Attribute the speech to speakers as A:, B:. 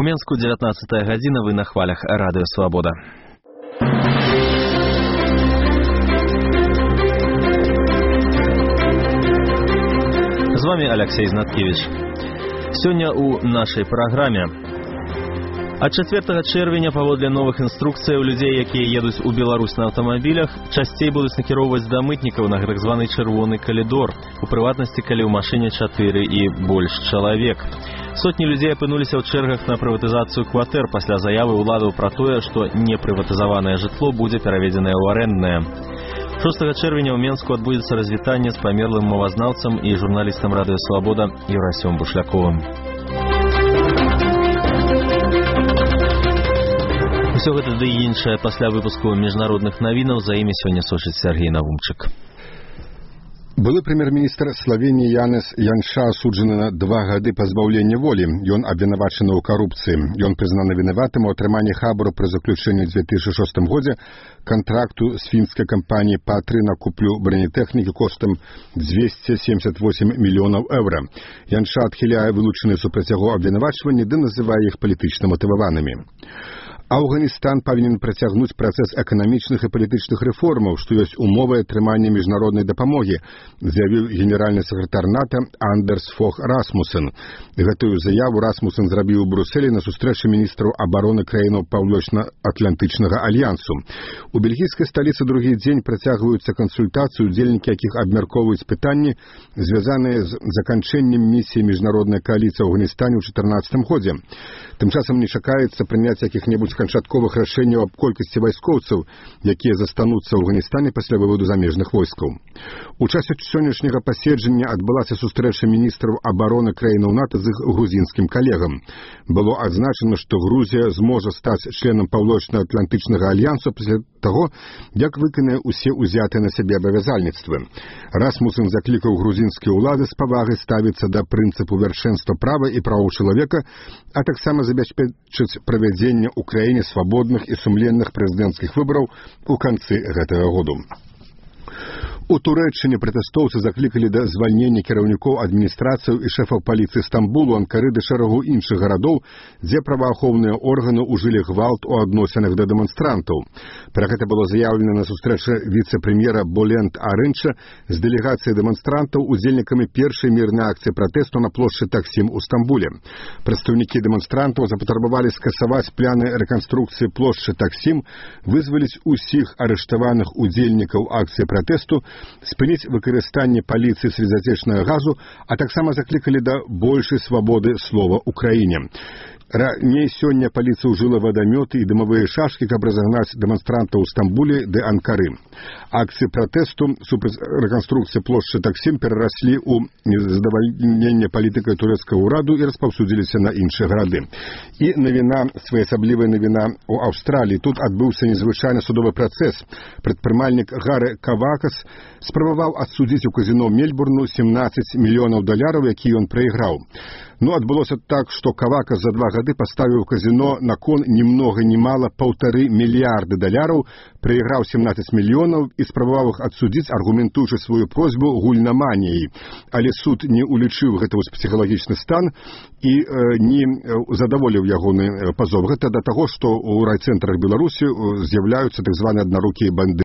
A: У Менску 19 гадзіна, вы на хвалях Радыё Свабода. З вами Алексей Знаткевич. Сёння ў нашай праграме. Ад 4 чэрвеня паводле новых інструкцыяў людзей, якія едуць у Беларусь на аўтамабілях, часцей будуць накіроўваць да мытнікаў на так званы чырвоны калідор, у прыватнасці, калі ў машыне 4 і больш чалавек. Сотні людзей апынуліся ў чэргах на прыватызацыю кватэр пасля заявы ўладаў пра тое, што непрыватызаванае жытло будзе пераведзенае ў арэнднае. 6 чэрвеня ў Менску адбудзецца развітанне з памерлым мовазнаўцам і журналістам Радыё Свабода Юрасём Бушляковым. Усё гэта ды і іншае пасля выпуску міжнародных навінаў, за імі сёння сочыць Сергей Навумчык.
B: Былы прэм'ер-міністр Славеніі Янес Янша асуджаны на 2 гады пазбаўлення волі. Ён абвінавачаны ў карупцыі. Ён прызнаны вінаватым у атрыманні хабару пры заключэнні ў 2006 годзе кантракту з фінскай кампаніяй Патры на куплю бронетэхнікі коштам 278 мільёнаў еўра. Янша адхіляе вылучаныя супраць яго абвінавачванні ды называе іх палітычна матываванымі. Афганістан павінен працягнуць працэс эканамічных і палітычных рэформаў, што ёсць умовай атрымання міжнароднай дапамогі, заявіў генеральны сакратар НАТО Андерс Фог Расмусен. Гэтую заяву Расмусен зрабіў у Брусэлі на сустрэчы міністраў абароны краінаў Паўночна-Атлантычнага альянсу. У бельгійскай сталіцы другі дзень працягваюцца кансультацыі, удзельнікі якіх абмяркоўваюць пытанні, звязаныя з заканчэннем місіі міжнароднай кааліцыі ў Афганістане ў 2014 годзе. Тым часам не чакаецца прыняць якіх-небудзь канчатковых рашэнняў аб колькасці вайскоўцаў, якія застануцца ў Афганістане пасля выводу замежных войскаў. У часе сённяшняга паседжання адбылася сустрэча міністраў абароны краінаў НАТО з іх грузінскім калегам. Было адзначана, што Грузія зможа стаць членам Паўночна-Атлантычнага альянсу пасля таго, як выканае ўсе ўзятыя на сябе абавязальніцтвы. Расмусен заклікаў грузінскія ўлады з павагай ставіцца да прынцыпу вяршэнства права і правоў чалавека, а таксама забяспечыць правядзенне ў краіне свабодных і сумленных прэзідэнцкіх выбараў у канцы гэтага году. У Турэччыне пратэстоўцы заклікалі да звальнення кіраўнікоў адміністрацыяў і шэфаў паліцыі Стамбулу, Анкары ды шэрагу іншых гарадоў, дзе праваахоўныя органы ўжылі гвалт у адносінах да дэманстрантаў. Пра гэта было заяўлена на сустрэчы віцэ-прэм'ера Болент Арынча з дэлегацыяй дэманстрантаў, удзельнікамі першай мірнай акцыі пратэсту на плошчы Таксім у Стамбуле. Прадстаўнікі дэманстрантаў запатрабавалі скасаваць пляны рэканструкцыі плошчы Таксім, вызваліць усіх арыштаваных удзельнікаў акцыі пратэсту, спыніць выкарыстанне паліцыі слезатечнага газу, а таксама заклікалі да большай свабоды слова ў краіне. Раней сёння паліцыя ўжыла вадамёты і дымавыя шашкі, каб разагнаць дэманстрантаў у Стамбуле ды Анкары. Акцыі пратэсту супраць рэканструкцыі плошчы Таксім перараслі ў незадавальненне палітыкай турэцкага ўраду і распаўсюдзіліся на іншыя гарады. І навіна, своеасаблівая навіна ў Аўстраліі. Тут адбыўся незвычайны судовы працэс. Прадпрымальнік Гарэ Кавакас спрабаваў адсудзіць у казіно Мельбурну $17 мільёнаў, які ён прайграў. Адбылося так, што Кавакас за 2 гады паставіў казіно на кон ні многа ні мала $1,5 мільярда, прайграў 17 мільёнаў і спрабаваў іх адсудзіць, аргументуючы сваю просьбу гульнаманіяй. Але суд не улічыў гэта ў псіхалагічны стан і не задаволіў ягоны пазов. Гэта да таго, што ў райцэнтрах Беларусі з'яўляюцца так званыя аднарукія банды.